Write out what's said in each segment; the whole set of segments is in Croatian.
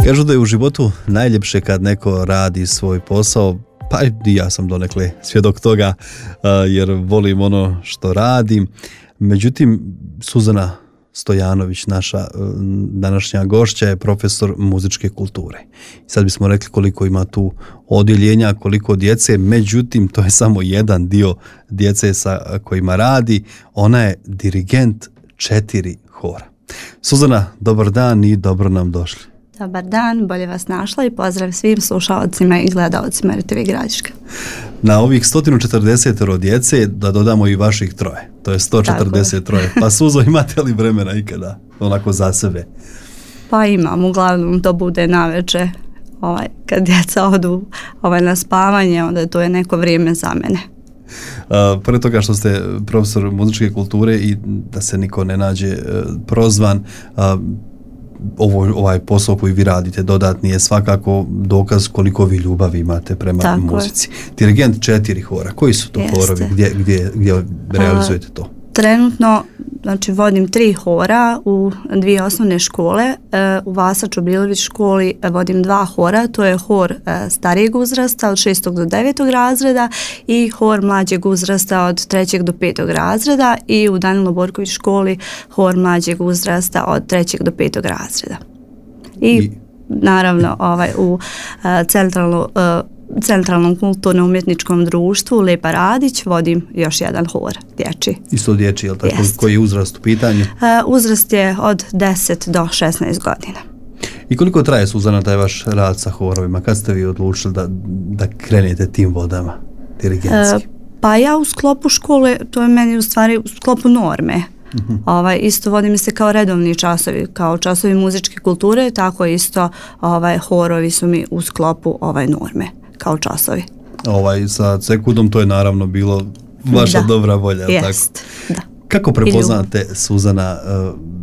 Kažu da je u životu najljepše kad neko radi svoj posao, pa i ja sam donekle svjedok toga jer volim ono što radim. Međutim, Suzana Stojanović, naša današnja gošća, je profesor muzičke kulture. Sad bismo rekli koliko ima tu odjeljenja, koliko djece, međutim to je samo jedan dio djece sa kojima radi. Ona je dirigent 4 hora. Suzana, dobar dan i dobro nam došli. Dobar dan, bolje vas našla i pozdrav svim slušalcima i gledalcima RTV Gradiška. Na ovih 140 djece da dodamo i vaših 3, to je 143. Pa Suzo, imate li vremena ikada onako za sebe? Pa imam, uglavnom to bude naveče, kad djeca odu na spavanje, onda to je neko vrijeme za mene. Pored toga što ste profesor muzičke kulture i da se niko ne nađe prozvan, ovaj posao koji vi radite dodatni je svakako dokaz koliko vi ljubavi imate prema muzici. Dirigent 4 hora. Koji su to horovi? Gdje realizujete to? Trenutno, vodim 3 hora u 2 osnovne škole. U Vasa Čobrilović školi vodim 2 hora. To je hor starijeg uzrasta od 6. do 9. razreda i hor mlađeg uzrasta od 3. do 5. razreda i u Danilo Borković školi hor mlađeg uzrasta od 3. do 5. razreda. I naravno u Centralnom kulturno-umjetničkom društvu Lepa Radić vodim još jedan hor dječji. Isto dječji, je li tako? Koji je uzrast u pitanju? Uzrast je od 10 do 16 godina. I koliko traje, Suzana, taj vaš rad sa horovima? Kad ste vi odlučili da krenete tim vodama dirigentski? Pa ja u sklopu škole, to je meni u stvari u sklopu norme. Isto vodim se kao redovni časovi, kao časovi muzičke kulture, tako isto horovi su mi u sklopu norme kao časovi. Sa Cekudom to je naravno bilo vaša dobra volja, jest, tako? Da. Kako prepoznate, Suzana,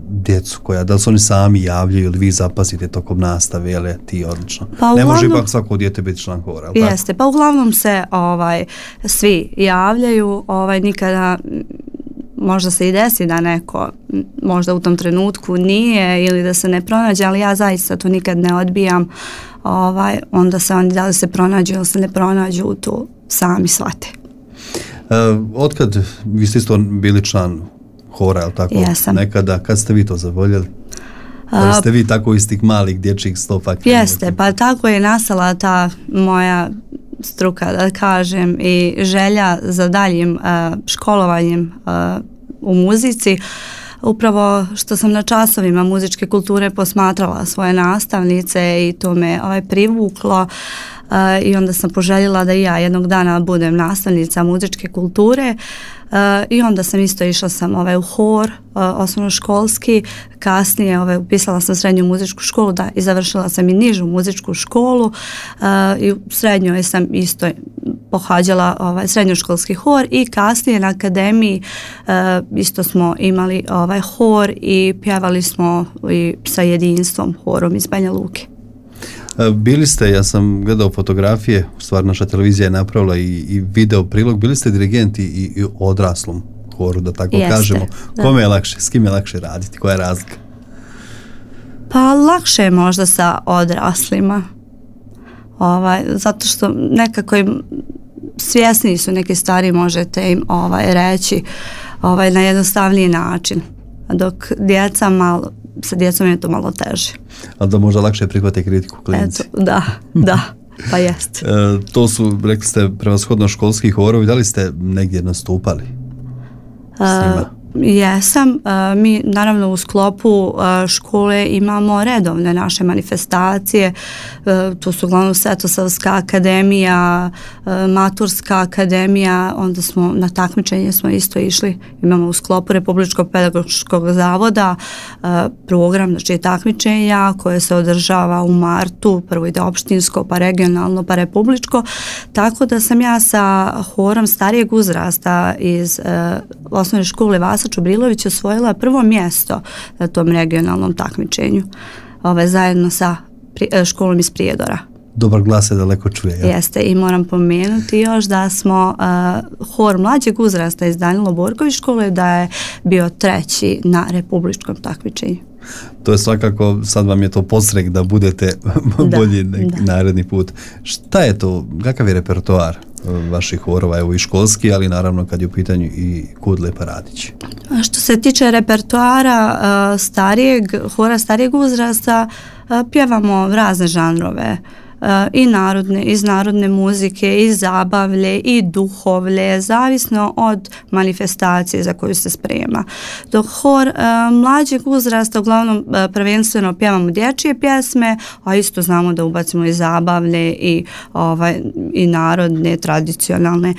djecu da li su oni sami javljaju ili vi zapasite tokom nastave, jel je ti odlično? Pa ne može ipak svako dijete biti član hora, ali jeste, tako? Pa uglavnom se svi javljaju, nikada možda se i desi da neko možda u tom trenutku nije ili da se ne pronađe, ali ja zaista to nikad ne odbijam. Onda se oni da li se pronađu ili se ne pronađu, to sami shvate. Otkad vi ste isto bili član hora, ali tako? Jesam. Nekada, kad ste vi to zavoljeli? Da ste vi tako iz tih malih dječjih stopa? Jeste, pa tako je nastala ta moja struka, da kažem, i želja za daljim školovanjem u muzici. Upravo što sam na časovima muzičke kulture posmatrala svoje nastavnice i to me privuklo i onda sam poželjela da i ja jednog dana budem nastavnica muzičke kulture i onda sam isto išla sam u hor osnovnoškolski, kasnije upisala sam srednju muzičku školu i završila sam i nižu muzičku školu i u srednjoj sam isto pohađala srednjoškolski hor i kasnije na akademiji isto smo imali hor i pjevali smo i sa jedinstvom horom iz Banja Luke. Bili ste, ja sam gledao fotografije, u stvari naša televizija je napravila i video prilog, bili ste dirigenti i u odraslom horu, da tako kažemo. Kome je lakše, s kim je lakše raditi, koja je razlika? Pa lakše je možda sa odraslima, zato što nekako svjesni su neke stvari, možete im reći na jednostavniji način, dok sa djecom je to malo teže. Ali da možda lakše prihvate kritiku klinci. Da, pa jest. To su, rekli ste, prevashodno školski horovi, da li ste negdje nastupali s njima? Jesam, mi naravno u sklopu škole imamo redovne naše manifestacije, to su uglavnom Svetosavska akademija, Maturska akademija, onda smo na takmičenje smo isto išli, imamo u sklopu Republičkog pedagoškog zavoda program, znači takmičenja koje se održava u martu, prvo ide opštinsko, pa regionalno, pa republičko, tako da sam ja sa horom starijeg uzrasta iz osnovne škole Vasa Čobrilović osvojila prvo mjesto na tom regionalnom takmičenju zajedno sa školom iz Prijedora. dobar glas se daleko čuje. Ja? Jeste, i moram pomenuti još da smo hor mlađeg uzrasta iz Danilo Borković škole, da je bio 3. na republičkom takmičenju. To je svakako, sad vam je to podstrek da budete bolji naredni put. Šta je to, kakav je repertoar vaših horova, evo i školski, ali naravno kad je u pitanju i Kud Lepa Radić? Što se tiče repertoara hora starijeg uzrasta, pjevamo razne žanrove, i narodne, iz narodne muzike, i zabavlje, i duhovlje, zavisno od manifestacije za koju se sprema. Dok hor mlađeg uzrasta uglavnom prvenstveno pjevamo dječje pjesme, a isto znamo da ubacimo i zabavlje i narodne, tradicionalne,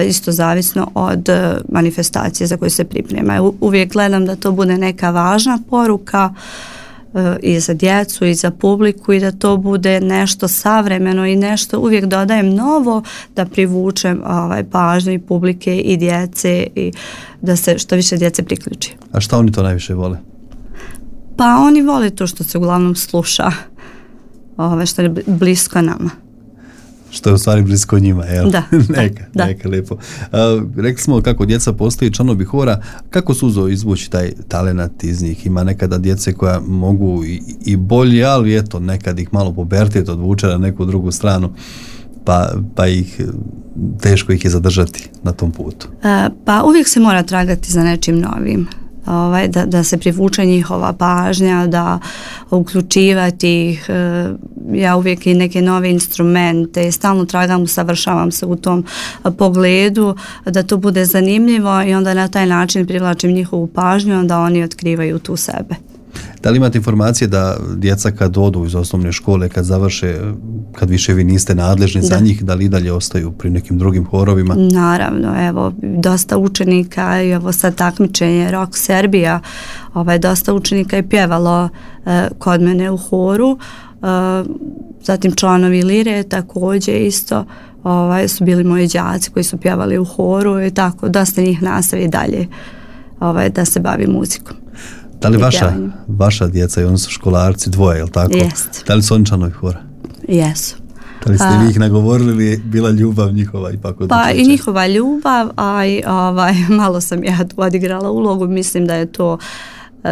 isto zavisno od manifestacije za koju se priprema. Uvijek gledam da to bude neka važna poruka i za djecu i za publiku i da to bude nešto savremeno i nešto uvijek dodajem novo da privučem pažnju i publike i djece i da se što više djece priključi. A šta oni to najviše vole? Pa oni vole to što se uglavnom sluša, što je blisko nama. Što je u stvari blisko njima, jel? Da. Neka lijepo. Rekli smo kako djeca postaju članovi hora, kako suzo izvući taj talenat iz njih? Ima nekada djece koja mogu i bolje, ali eto, nekad ih malo pubertet odvuče na neku drugu stranu, pa ih teško ih je zadržati na tom putu. Pa uvijek se mora tragati za nečim novim. Da se privuče njihova pažnja, da uključivati ih, ja uvijek i neke nove instrumente, stalno tragam, usavršavam se u tom pogledu, da to bude zanimljivo i onda na taj način privlačim njihovu pažnju, onda oni otkrivaju tu sebe. Da li imate informacije da djeca kad odu iz osnovne škole, kad završe, kad više vi niste nadležni za njih, da li i dalje ostaju pri nekim drugim horovima? Naravno, evo, dosta učenika i ovo sad takmičenje Rock Serbia, dosta učenika je pjevalo kod mene u horu, zatim članovi Lire također isto su bili moji đaci koji su pjevali u horu i tako, dosta njih nastavi dalje da se bavi muzikom. Da li vaša djeca i oni su školarci, dvoje, jel tako? Jest. Da li su oni članovi hora? Jesu. Da li ste vi ih nagovorili ili je bila ljubav njihova ipak od Pa i njihova ljubav, a i malo sam ja tu odigrala ulogu, mislim da je to,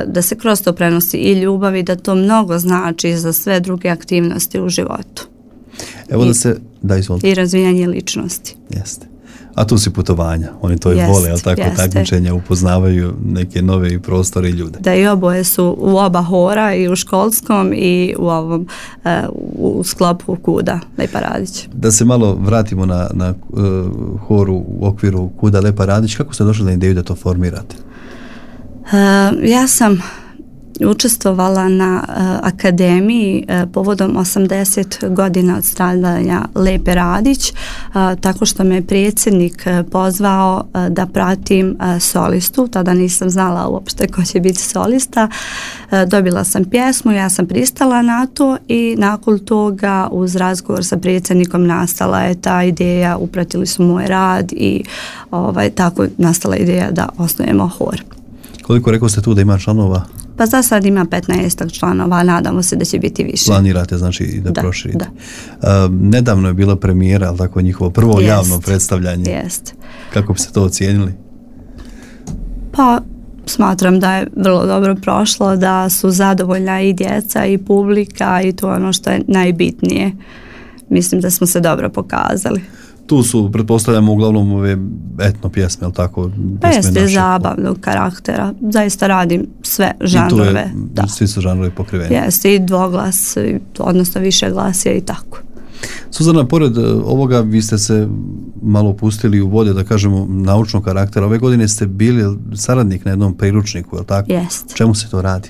da se kroz to prenosi i ljubav i da to mnogo znači za sve druge aktivnosti u životu. Evo izvolite. I razvijanje ličnosti. Jeste. A tu si putovanja, oni to i vole, ali tako takmičenja, upoznavaju neke nove prostore i ljude. Da, i oboje su u oba hora, i u školskom i u ovom u sklopu Kuda Lepa Radić. Da se malo vratimo na horu u okviru Kuda Lepa Radić, kako ste došli na ideju da to formirate? Ja sam učestvovala na akademiji povodom 80 godina od stradanja Lepe Radić, tako što me predsjednik pozvao da pratim solistu. Tada nisam znala uopšte ko će biti solista. Dobila sam pjesmu, ja sam pristala na to i nakon toga uz razgovor sa predsjednikom nastala je ta ideja, upratili su moj rad i tako nastala ideja da osnujemo hor. Koliko rekao ste tu da ima članova? Pa za sad ima 15 članova, nadamo se da će biti više. Planirate znači da proširite. Da. Nedavno je bila premijera, ali tako njihovo prvo javno predstavljanje. Jest. Kako bi ste to ocijenili? Pa smatram da je vrlo dobro prošlo, da su zadovoljna i djeca i publika i to je ono što je najbitnije. Mislim da smo se dobro pokazali. Tu su, pretpostavljamo, uglavnom ove etno pjesme, ali tako? Pa jeste zabavnog karaktera. Zaista radim sve žanrove. I tu je, svi su žanrovi pokriveni. Jeste i dvoglas, odnosno više glasija i tako. Suzana, pored ovoga vi ste se malo pustili u vode, da kažemo, naučnog karaktera. Ove godine ste bili saradnik na jednom priručniku, je li tako? Jest. Čemu se to radi?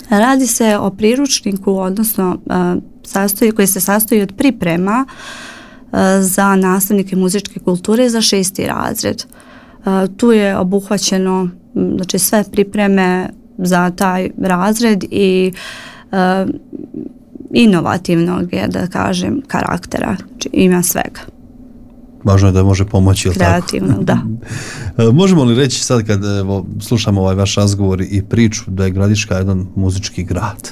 Radi se o priručniku, odnosno koji se sastoji od priprema za nastavnike muzičke kulture za 6. razred. Tu je obuhvaćeno znači, sve pripreme za taj razred i inovativnog je, da kažem, karaktera. Znači, ima svega. Važno je da može pomoći, ili tako? Kreativno, da. Možemo li reći sad kad slušamo ovaj vaš razgovor i priču da je Gradiška jedan muzički grad?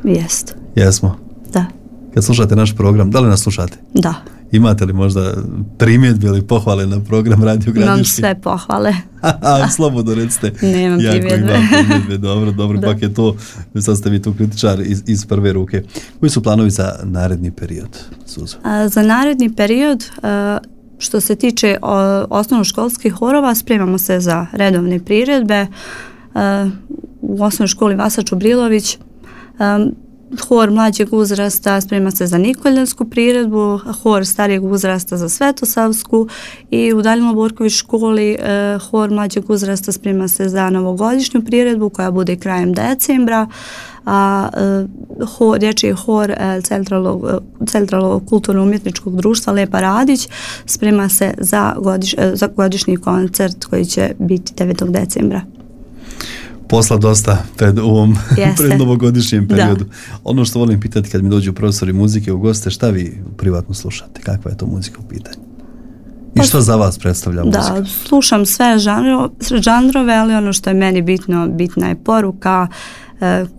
Jest. Jesmo? Da. Kad slušate naš program, da li nas slušate? Da. Imate li možda primjedbe ili pohvale na program Radio Gradiške? Imam sve pohvale. Slobodno recite. Nemam primjedbe. Dobro, pak je to, sad ste vi tu kritičar iz prve ruke. Koji su planovi za naredni period, Suzo? Za naredni period, što se tiče osnovnoškolskih horova, spremamo se za redovne priredbe. U osnovnoj školi Vasa Čubrilović, hor mlađeg uzrasta sprema se za Nikoljansku priredbu, hor starijeg uzrasta za Svetosavsku i u Daljino Borković školi hor mlađeg uzrasta sprema se za novogodišnju priredbu koja bude krajem decembra, a dječji hor Centralnog kulturno-umjetničkog društva Lepa Radić sprema se za godišnji koncert koji će biti 9. decembra. Posla dosta pred novogodišnjem periodu. Da. Ono što volim pitati kad mi dođu profesori muzike u goste, šta vi privatno slušate? Kakva je to muzika u pitanju? I što za vas predstavlja muzika? Da, slušam sve žanrove, ali ono što je meni bitna je poruka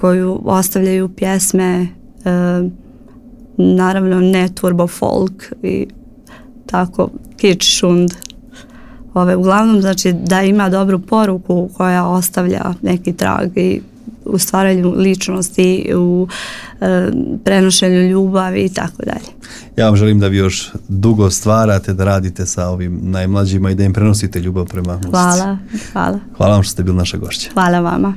koju ostavljaju pjesme, naravno ne turbo folk i tako kič šund. Uglavnom, znači da ima dobru poruku koja ostavlja neki trag i u stvaranju ličnosti, u prenošenju ljubavi i tako dalje. Ja vam želim da vi još dugo stvarate, da radite sa ovim najmlađima i da im prenosite ljubav prema muzici. Hvala. Hvala vam što ste bili naša gošća. Hvala vama.